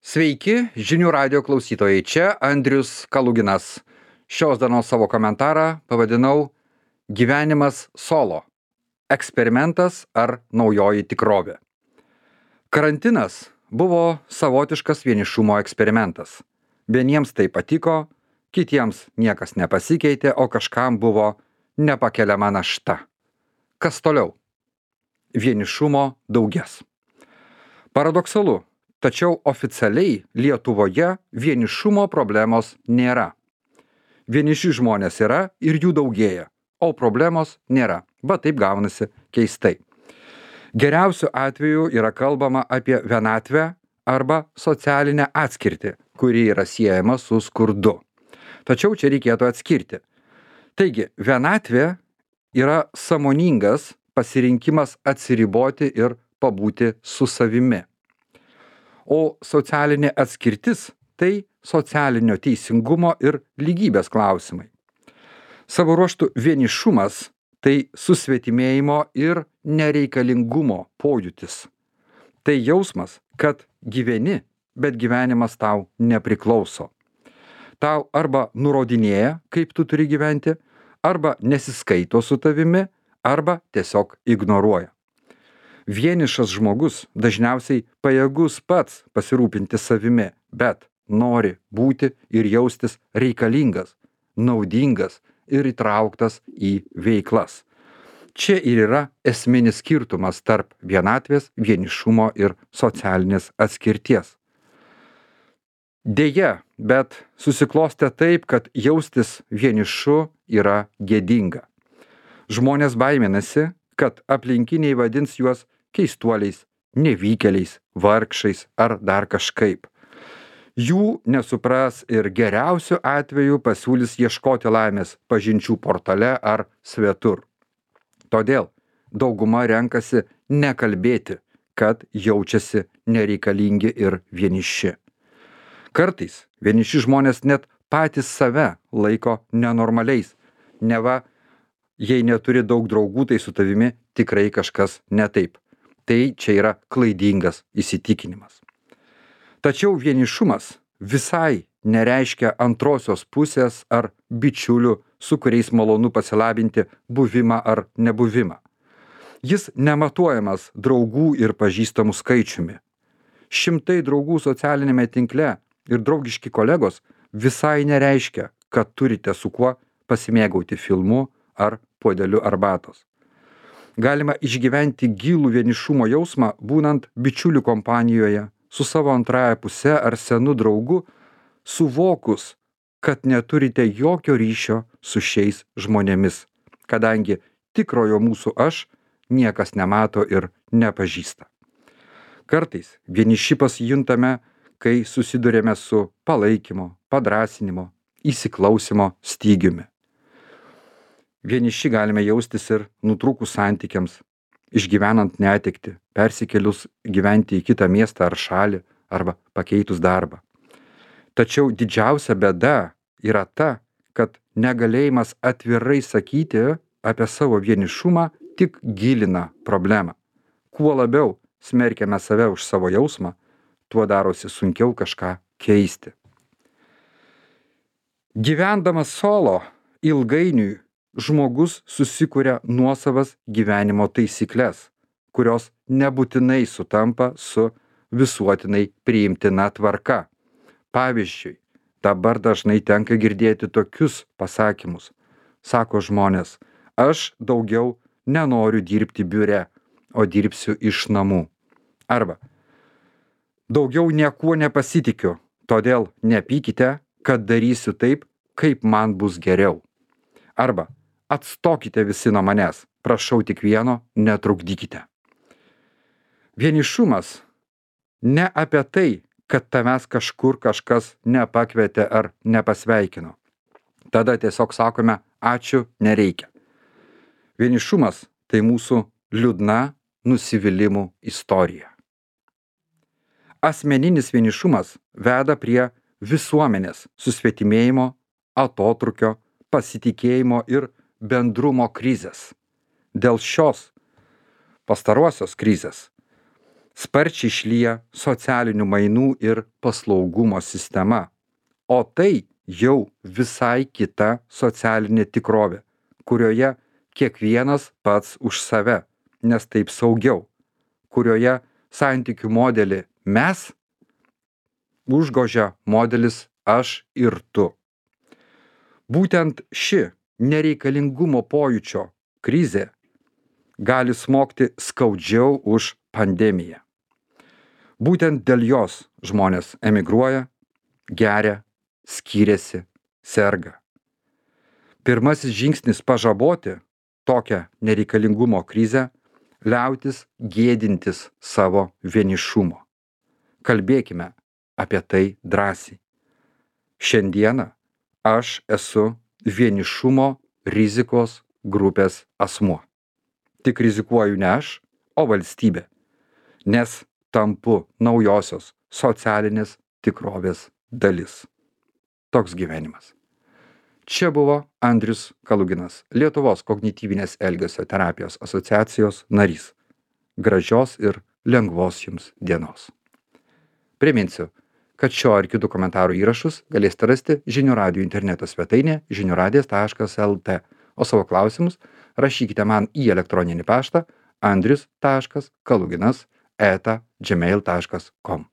Sveiki, žinių radio klausytojai, čia Andrius Kaluginas. Šios dienos savo komentarą pavadinau Gyvenimas solo. Eksperimentas ar naujoji tikrovė. Karantinas buvo savotiškas vienišumo eksperimentas. Vieniems tai patiko, kitiems niekas nepasikeitė, o kažkam buvo nepakeliama našta. Kas toliau? Vienišumo daugės. Paradoksalu, tačiau oficialiai Lietuvoje vienišumo problemos nėra. Vieniši žmonės yra ir jų daugėja, o problemos nėra. Va taip gaunasi keistai. Geriausiu atveju yra kalbama apie vienatvę arba socialinę atskirtį, kuri yra siejama su skurdu. Tačiau čia reikėtų atskirti. Taigi, vienatvė yra sąmoningas pasirinkimas atsiriboti ir pabūti su savimi. O socialinė atskirtis tai socialinio teisingumo ir lygybės klausimai. Savo ruožtu vienišumas tai susvetimėjimo ir nereikalingumo pojūtis. Tai jausmas, kad gyveni, bet gyvenimas tau nepriklauso. Tau arba nurodinėja, kaip tu turi gyventi, arba nesiskaito su tavimi, arba tiesiog ignoruoja. Vienišas žmogus dažniausiai pajėgus pats pasirūpinti savimi, bet nori būti ir jaustis reikalingas, naudingas ir įtrauktas į veiklas. Čia ir yra esminis skirtumas tarp vienatvės, vienišumo ir socialinės atskirties. Deja, bet susiklostė taip, kad jaustis vienišu yra gėdinga. Žmonės baiminasi, kad aplinkiniai vadins juos keistuoliais, nevykėliais, vargšais ar dar kažkaip. Jų nesupras ir geriausiu atveju pasiūlys ieškoti laimės pažinčių portale ar svetur. Todėl dauguma renkasi nekalbėti, kad jaučiasi nereikalingi ir vieniši. Kartais vieniši žmonės net patys save laiko nenormaliais. Neva, jei neturi daug draugų, tai su tavimi tikrai kažkas ne taip. Tai čia yra klaidingas įsitikinimas. Tačiau vienišumas visai nereiškia antrosios pusės ar bičiulių, su kuriais malonu pasilabinti buvimą ar nebuvimą. Jis nematuojamas draugų ir pažįstamų skaičiumi. 100 draugų socialinėme tinkle ir draugiški kolegos visai nereiškia, kad turite su kuo pasimėgauti filmu ar puodeliu arbatos. Galima išgyventi gilų vienišumo jausmą, būnant bičiulių kompanijoje, su savo antrąja puse ar senu draugu, suvokus, kad neturite jokio ryšio su šiais žmonėmis, kadangi tikrojo mūsų aš niekas nemato ir nepažįsta. Kartais vieniši pasijuntame, kai susidurėme su palaikymo, padrąsinimo, įsiklausimo stygiumi. Vieniši galime jaustis ir nutrūkus santykiams, išgyvenant netektį, persikėlus gyventi į kitą miestą ar šalį, arba pakeitus darbą. Tačiau didžiausia bėda yra ta, kad negalėjimas atvirai sakyti apie savo vienišumą tik gilina problemą. Kuo labiau smerkiame save už savo jausmą, tuo darosi sunkiau kažką keisti. Gyvendamas solo, ilgainiui žmogus susikuria nuosavas gyvenimo taisyklės, kurios nebūtinai sutampa su visuotinai priimtina tvarka. Pavyzdžiui, dabar dažnai tenka girdėti tokius pasakymus. Sako žmonės, aš daugiau nenoriu dirbti biure, o dirbsiu iš namų. Arba, daugiau niekuo nepasitikiu, todėl nepykite, kad darysiu taip, kaip man bus geriau. Arba, atstokite visi nuo manęs, prašau tik vieno, netrukdykite. Vienišumas ne apie tai, kad tavęs kažkur kažkas nepakvietė ar nepasveikino. Tada tiesiog sakome, ačiū, nereikia. Vienišumas tai mūsų liūdna nusivylimų istorija. Asmeninis vienišumas veda prie visuomenės susvetimėjimo, atotrūkio, pasitikėjimo ir bendrumo krizės. Dėl šios pastarosios krizės Sparčiai šlyja socialinių mainų ir paslaugumo sistema, o tai jau visai kita socialinė tikrovė, kurioje kiekvienas pats už save, nes taip saugiau, kurioje santykių modelį mes užgožia modelis aš ir tu. Būtent ši nereikalingumo pojūčio krizė gali smogti skaudžiau už pandemiją. Būtent dėl jos žmonės emigruoja, geria, skiriasi, serga. Pirmasis žingsnis pažaboti tokią nereikalingumo krizę - liautis gėdintis savo vienišumo. Kalbėkime apie tai drąsiai. Šiandieną aš esu vienišumo rizikos grupės asmuo. Tik rizikuoju ne aš, o valstybė, nes tampu naujosios socialinės tikrovės dalis. Toks gyvenimas. Čia buvo Andrius Kaluginas, Lietuvos kognityvinės elgesio terapijos asociacijos narys. Gražios ir lengvos jums dienos. Priminsiu, kad šio ar kitų komentarų įrašus galėsite rasti Žinių radijo interneto svetainėje žiniųradijas.lt, o savo klausimus rašykite man į elektroninį paštą andrius.kaluginas@gmail.com.